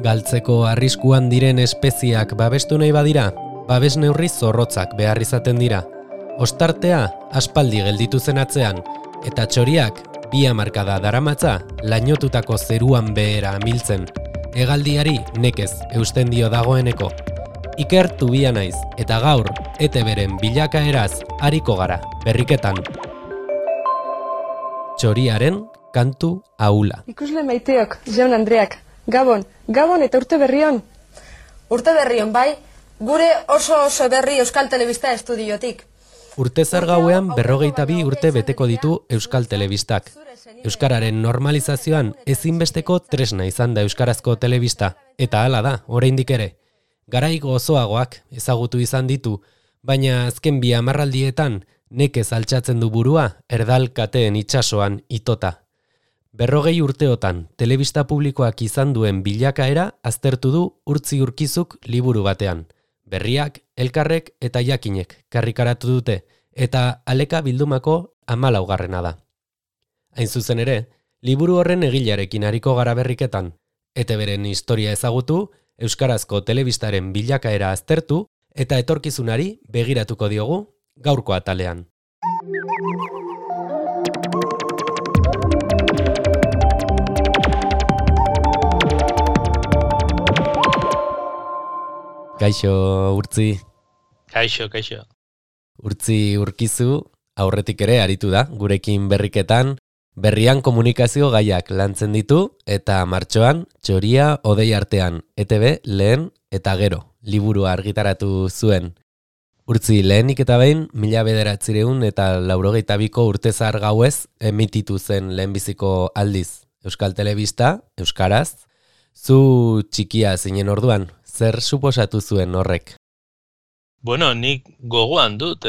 Galtzeko arriskuan diren espeziak babestu nahi badira, babes neurri zorrotzak behar izaten dira. Ostartea aspaldi gelditu zen atzean, eta txoriak 2 hamarkada daramatza lainotutako zeruan behera amiltzen. Hegaldiari nekez eusten dio dagoeneko. Iker Tubia naiz, eta gaur ETBren bilakaeraz hariko gara, berriketan. Txoriaren kantu ahula. Ikusle maiteok, Jaun Andreak, Gabon eta urte berrion. Urte berrion, bai, gure oso berri Euskal Telebista estudiotik. Urtezar gauean 42 urte beteko ditu Euskal Telebistak. Euskararen normalizazioan ezinbesteko tresna izan da euskarazko telebista, eta hala da, oraindik ere. Garai gozoagoak ezagutu izan ditu, baina azken 2 hamarraldietan nekez altxatzen du burua erdal kateen itsasoan itota. 40 urteotan telebista publikoak izan duen bilakaera aztertu du Urtzi Urkizuk liburu batean. Berriak, elkarrek eta jakinek karrikaratu dute, eta aleka bildumako 14. da. Hain zuzen ere, liburu horren egilearekin hariko gara berriketan. ETBren historia ezagutu, euskarazko telebistaren bilakaera aztertu, eta etorkizunari begiratuko diogu gaurko atalean. Kaixo, Urtzi. Kaixo. Urtzi Urkizu, aurretik ere aritu da, gurekin berriketan, berrian komunikazio gaiak lantzen ditu, eta martxoan, Txoria Hodei artean, ETB lehen eta gero, liburua argitaratu zuen. Urtzi, lehenik eta behin, 1982ko urtezar gauez emititu zen lehenbiziko aldiz Euskal Telebista, euskaraz. Zu txikia zinen orduan, zer suposatu zuen horrek? Bueno, nik gogoan dut,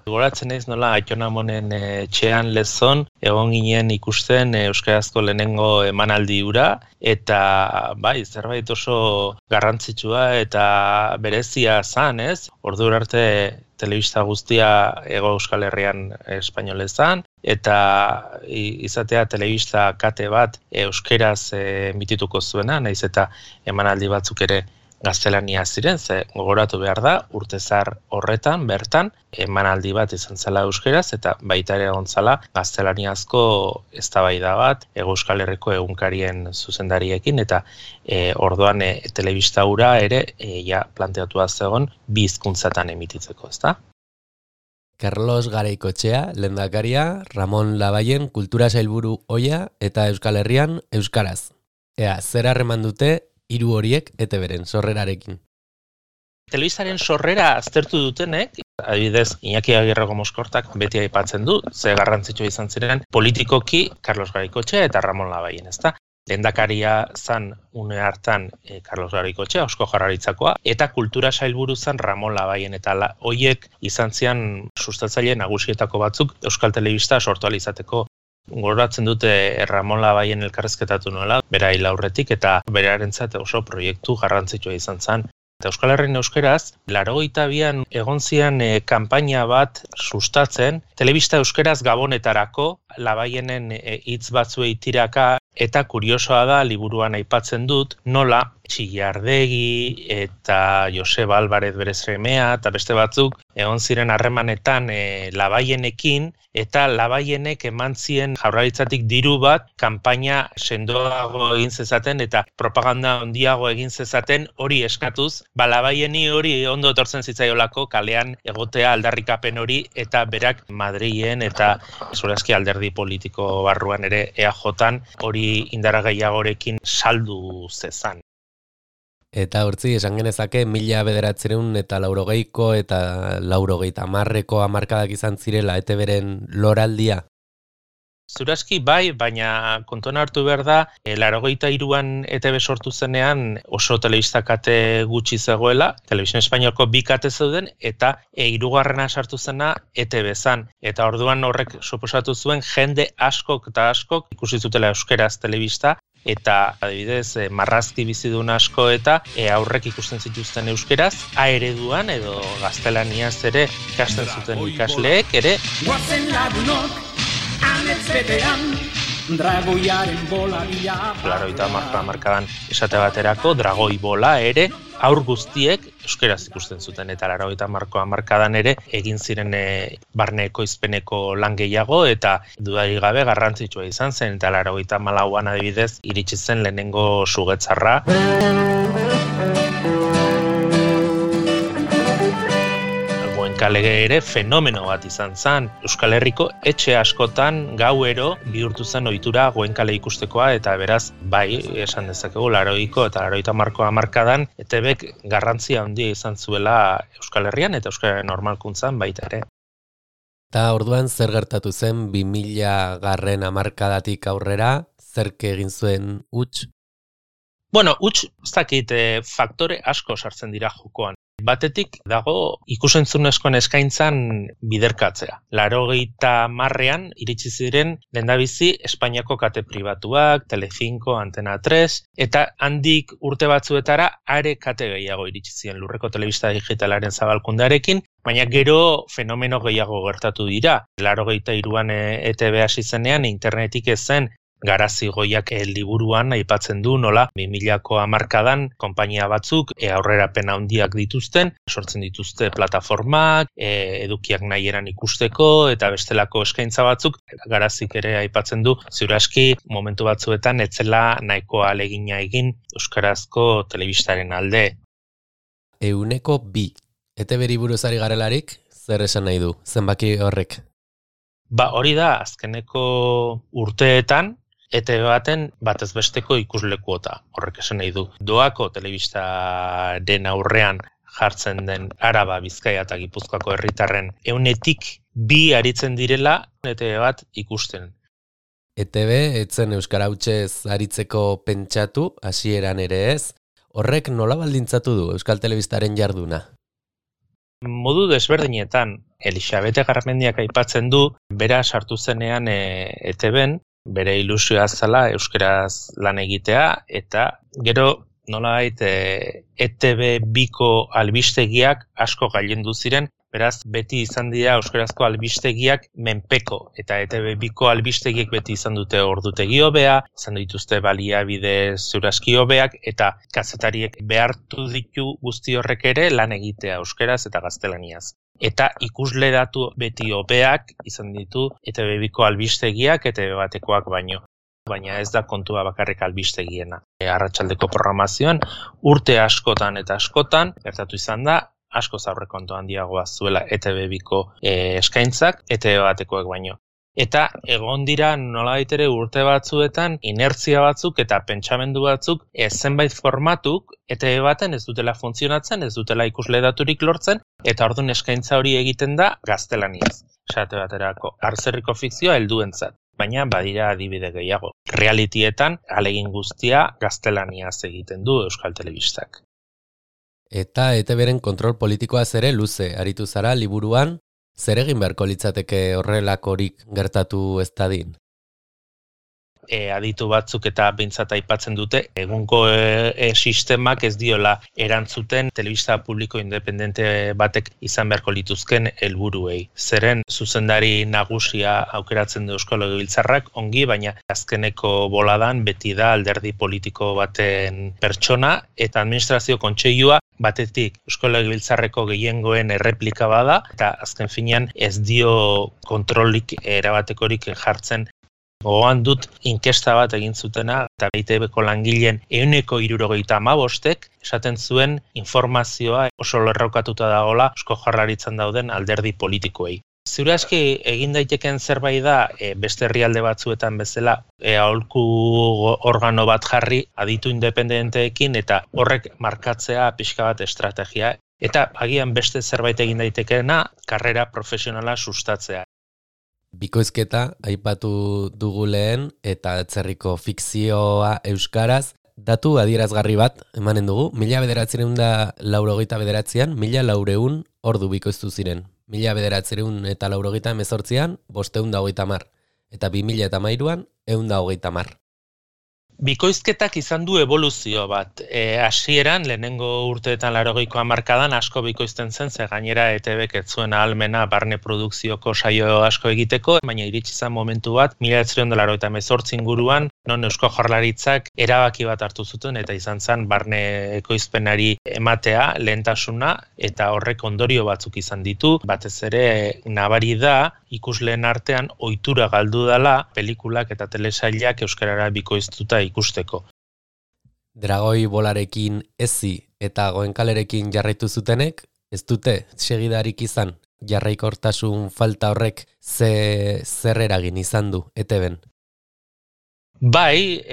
goratzen naiz nola Aitonamonen etxean lezon, egon ginen ikusten euskarazko lehenengo emanaldi hura, eta bai, zerbait oso garrantzitsua eta berezia zan, ez? Ordura arte telebista guztia Hego Euskal Herrian espainolezan, eta izatea telebista kate bat euskeraz emitituko zuena, naiz eta emanaldi batzuk ere gaztelania ziren, ze gogoratu behar da, urtezar horretan, bertan, emanaldi bat izan zela euskeraz, eta baita ere egon zela gaztelaniazko eztabaida bat, Hego Euskal Herriko egunkarien zuzendariekin, eta orduan telebista hura ere ja planteatu zegoen 2 hizkuntzatan emititzeko, ezta? Carlos Garaikoetxea, lehendakaria, Ramon Labayen kultura sailburu ohia eta Euskal Herrian euskaraz. Ea, zer harreman dute 3 horiek ETBren sorrerarekin? Telebistaren sorrera aztertu dutenek, adibidez, Iñaki Agirreko Moskortak beti aipatzen du, ze garrantzitsua izan ziren politikoki Carlos Garaikoetxea eta Ramon Labayen, ezta? Lehendakaria zan une hartan Carlos Garaikoetxea, Eusko Jaurlaritzakoa, eta kultura sailburu zan Ramon Labayen, eta hoiek izan zian sustatzaile nagusietako batzuk Euskal Telebista sortu ahal izateko. Goratzen dute Ramon Labayen elkarrezketatu nuela, bera hil aurretik, eta berarentzat oso proiektu garrantzitsua izan zen. Eta Euskal Herrian euskeraz, 82an egon zian kanpaina bat sustatzen, telebista euskeraz gabonetarako, Labayenen hitz batzuei tiraka, eta kuriosoa da, liburuan aipatzen dut, nola Txillardegi eta Joseba Alvarez bere semea eta beste batzuk egon ziren harremanetan Labayenekin, eta Labayenek eman zien Jaurlaritzatik diru bat kanpaina sendoago egin zezaten eta propaganda handiago egin zezaten hori eskatuz, Labayeni hori ondo etortzen zitzaiolako kalean egotea aldarrikapen hori, eta berak Madrilen eta zurazki alderdi politiko barruan ere EAJan hori indara gehiagorekin saldu zezan. Eta Urtzi, esan genezake 1980ko eta 1990ko hamarkadak izan zirela ETBren loraldia? Zurazki bai, baina kontuan hartu behar da, 83an ETB sortu zenean oso telebista kate gutxi zegoela, Televisión Espainolko 2 kate zeuden, eta 3. sartu zena ETB zan. Eta orduan horrek suposatu zuen jende askok ikusi zutela euskeraz telebista, eta adibidez marrazki bizidun asko eta aurrek ikusten zituzten euskeraz, A ereduan edo gaztelaniaz ere ikasten zuten ikasleek ere. Guazen lagunok, anetz betean, Dragoiaren bola bila. Larogeita hamarkadan esate baterako dragoi bola ere haur guztiek euskaraz ikusten zuten, eta larogeita hamarkadan ere egin ziren barne ekoizpeneko lan gehiago, eta dudarik gabe garrantzitsua izan zen, eta 94an adibidez iritsi zen lehenengo sugetzarra. Lege ere fenomeno bat izan zen. Euskal Herriko etxe askotan gauero bihurtu zen ohitura Goenkale ikustekoa, eta beraz, bai, esan dezakegu, 80ko eta 90ko hamarkadan ETBk garrantzia handia izan zuela Euskal Herrian eta Euskararen normalkuntzan baita ere. Eta orduan zer gertatu zen 2000 hamarkadatik aurrera, zerk egin zuen huts? Bueno, huts, ez dakit, faktore asko sartzen dira jokoan. Batetik dago ikusentzunezkoen eskaintzan biderkatzea. 80ean iritsi ziren lehendabizi Espainiako kate pribatuak, Telecinco, Antena 3, eta handik urte batzuetara are kate gehiago iritsi ziren lurreko telebista digitalaren zabalkundearekin, baina gero fenomeno gehiago gertatu dira. 83an ETB hasi zenean internetik ez zen, Garazi Goiak liburuan aipatzen du nola 2000ko hamarkadan konpainia batzuk aurrerapen handiak dituzten, sortzen dituzte plataformak, edukiak nahieran ikusteko eta bestelako eskaintza batzuk. Garazik ere aipatzen du ziur aski momentu batzuetan etzela nahiko ahalegina egin euskarazko telebistaren alde. 200. ETB-ri buruz ari garelarik, zer esan nahi du, zenbaki horrek? Hori da, azkeneko urteetan ETB baten batez besteko ikuslekuota, horrek esan nahi du. Doako telebistaren aurrean jartzen den Araba, Bizkaia eta Gipuzkoako herritarren 100-2 aritzen direla ETB bat ikusten. ETB etzen euskara hutsez aritzeko pentsatu, hasieran ere ez, horrek nola baldintzatu du euskal telebistaren jarduna? Modu desberdinetan, Elisabete Garmendiak aipatzen du, bera sartu zenean ETBn, bere ilusioa zela euskaraz lan egitea, eta gero nolabait ETB biko albistegiak asko gailendu ziren, beraz beti izan dira euskarazko albistegiak menpeko, eta ETB biko albistegiek beti izan dute ordutegi hobea, izan dituzte baliabide ziurazki hobeak, eta kazetariek behartu ditu guzti horrek ere lan egitea euskaraz eta gaztelaniaz. Eta ikusle datu beti hobeak izan ditu ETB biko albistegiak ETB batekoak baino. Baina ez da kontua bakarrik albistegiena. Arratsaldeko programazioan urte askotan eta askotan gertatu izan da, asko aurrekontu handiagoa zuela ETB biko eskaintzak ETB batekoak baino. Eta egon dira nolabait ere urte batzuetan inertzia batzuk eta pentsamendu batzuk zenbait formatuk ETB baten ez dutela funtzionatzen, ez dutela ikusle daturik lortzen, eta orduan eskaintza hori egiten da gaztelaniaz. Esate baterako, arzerriko fikzioa helduentzat, baina badira adibide gehiago. Realitietan ahalegin guztia gaztelaniaz egiten du euskal telebistak. Eta ETBren kontrol politikoaz ere luze aritu zara liburuan, zer egin beharko litzateke horrelakorik gertatu ez dadin? Aditu batzuk eta behintzat aipatzen dute, egungo sistemak ez diola erantzuten telebista publiko independente batek izan beharko lituzken helburuei. Zeren zuzendari nagusia aukeratzen du Eusko Legebiltzarrak ongi, baina azkeneko boladan beti da alderdi politiko baten pertsona, eta administrazio kontseilua batetik Eusko Legebiltzarreko gehiengoen erreplika bada, eta azken finean ez dio kontrolik erabatekorik jartzen. Gogoan dut inkesta bat egin zutena, eta ETBko langileen 75%ek esaten zuen informazioa oso lerrokatuta dagoela Eusko Jaurlaritzan dauden alderdi politikoei. Ziur aski egin daiteken zerbait da beste herrialde batzuetan bezala aholku organo bat jarri aditu independenteekin eta horrek markatzea pixka bat estrategia. Eta agian beste zerbait egin daitekeena karrera profesionala sustatzea. Bikoizketa aipatu dugu lehen eta atzerriko fikzioa euskaraz, datu adierazgarri bat emanen dugu, 1989an 1400 ordu bikoiztu ziren. 1988an 530, eta 2030an 130. Bikoizketak izan du eboluzio bat. Hasieran lehenengo urteetan 80ko hamarkadan asko bikoizten zen, ze gainera ETBk ez zuen ahalmena barne produkzioko saio asko egiteko, baina iritsi zen momentu bat 1998 inguruan, non Eusko Jaurlaritzak erabaki bat hartu zuten eta izan zen barne ekoizpenari ematea lehentasuna eta horrek ondorio batzuk izan ditu, batez ere nabari da ikusleen artean ohitura galdu dela pelikulak eta telesailak euskarara bikoiztuta ikusteko. Dragoi bolarekin ezi eta goenkalerekin jarraitu zutenek, ez dute segidarik izan jarraikortasun falta horrek zer eragin izan du ETBn? Bai,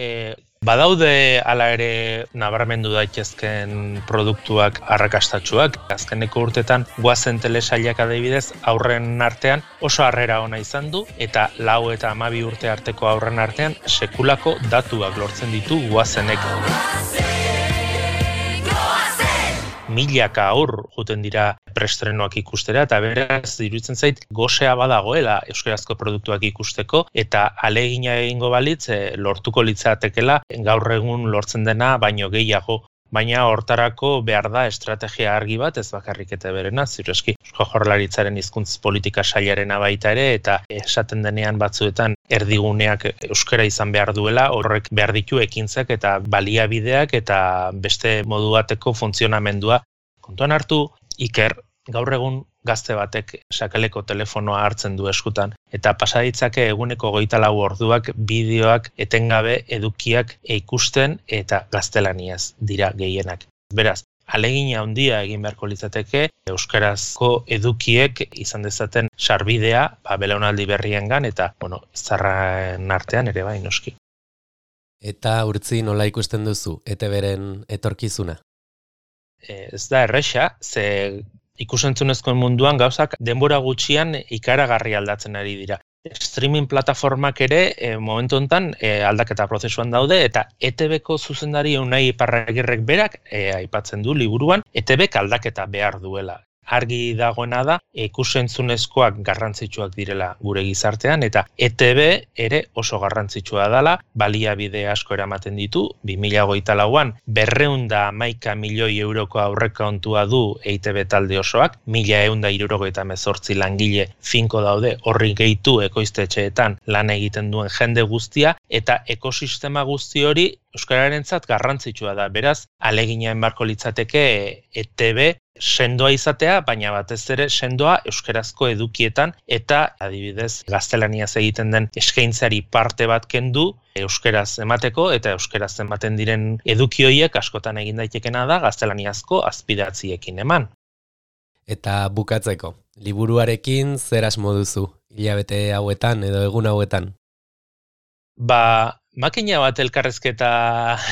badaude hala ere nabarmendu daitezken produktuak arrakastatsuak. Azkeneko urtetan goazen telesailak adibidez aurren artean oso harrera ona izan du eta 4 eta 12 urte arteko aurren artean sekulako datuak lortzen ditu goazenek. Milaka aur joten dira preestrenoak ikustera eta beraz iruditzen zait gosea badagoela euskarazko produktuak ikusteko eta ahalegina egingo balitz lortuko litzatekeela gaur egun lortzen dena baino gehiago. Baina hortarako behar da estrategia argi bat, ez bakarrik ETBrena, ziurreski Eusko Jaurlaritzaren hizkuntz politika sailarena baita ere eta esaten denean batzuetan erdiguneak euskara izan behar duela, horrek behar ditu ekintzak eta baliabideak eta beste modu bateko funtzionamendua. Kontuan hartu, Iker, gaur egun gazte batek sakeleko telefonoa hartzen du eskutan eta pasa ditzake eguneko 24 orduak bideoak etengabe edukiak ikusten eta gaztelaniaz dira gehienak. Beraz, ahalegina handia egin beharko litzateke euskarazko edukiek izan dezaten sarbidea belaunaldi berriengan eta zarren artean ere bai noski. Eta Urtzi nola ikusten duzu ETBren etorkizuna? Ez da erresa, ze ikusentzunezkoen munduan gauzak denbora gutxian ikaragarri aldatzen ari dira. Streaming plataformak ere momentu honetan aldaketa prozesuan daude eta ETBko zuzendari Unai Iparragirrek berak aipatzen du liburuan ETBk aldaketa behar duela. Argi dagoena da ikusentzunezkoak garrantzitsuak direla gure gizartean eta ETB ere oso garrantzitsua dela, baliabide asko eramaten ditu, 2024an 211 milioi euroko aurrekontua du EITB talde osoak, 1178 langile finko daude horri gehitu ekoiztetxeetan lan egiten duen jende guztia eta ekosistema guzti hori euskararentzat garrantzitsua da. Beraz, ahalegina beharko litzateke ETB sendoa izatea, baina batez ere sendoa euskarazko edukietan eta adibidez gaztelaniaz egiten den eskaintzari parte bat kendu euskaraz emateko eta euskaraz ematen diren eduki horiek askotan egin daitekena da gaztelaniazko azpidatziekin eman. Eta bukatzeko, liburuarekin zer asmo duzu hilabete hauetan edo egun hauetan? Makina bat elkarrezketa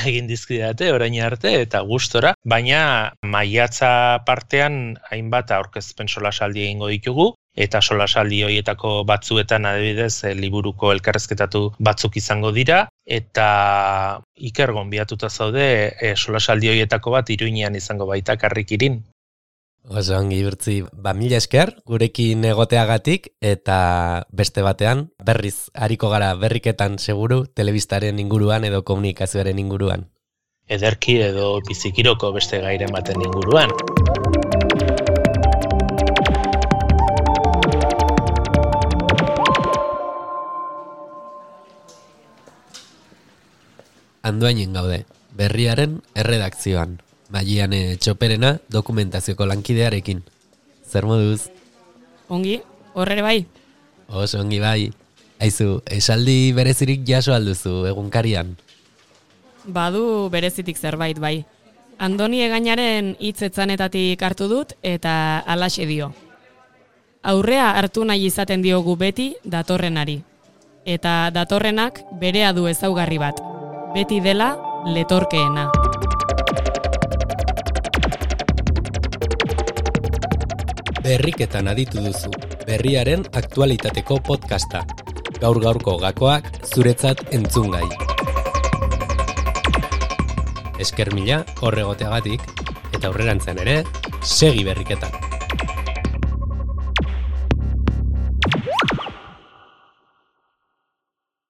egin dizkidate orain arte eta gustora, baina maiatza partean hainbat aurkezpen solasaldi egingo ditugu eta solasaldi horietako batzuetan adibidez liburuko elkarrezketatu batzuk izango dira eta Iker gonbidatuta zaude solasaldi horietako bat Iruinean izango baita Karrikirin. Oso ongi Urtzi, 1000 esker gurekin egoteagatik eta beste batean berriz ariko gara berriketan seguru telebistaren inguruan edo komunikazioaren inguruan. Ederki edo bizikiroko beste gairen baten inguruan. Andoainen gaude, Berriaren erredakzioan. Maiane Txoperena dokumentazioko lankidearekin. Zer moduz? Ongi, horrere bai. Oso ongi bai. Aizu, esaldi berezirik jaso alduzu egunkarian? Badu berezitik zerbait bai. Andoni Egainaren hitzetzanetatik hartu dut eta halaxe dio. Aurrea hartu nahi izaten diogu beti datorrenari. Eta datorrenak berea du ezaugarri bat. Beti dela letorkeena. Berriketan aditu duzu, Berriaren aktualitateko podcasta. Gaur-gaurko gakoak zuretzat entzungai. Esker mila horregoteagatik eta aurrerantzean ere, segi berriketan.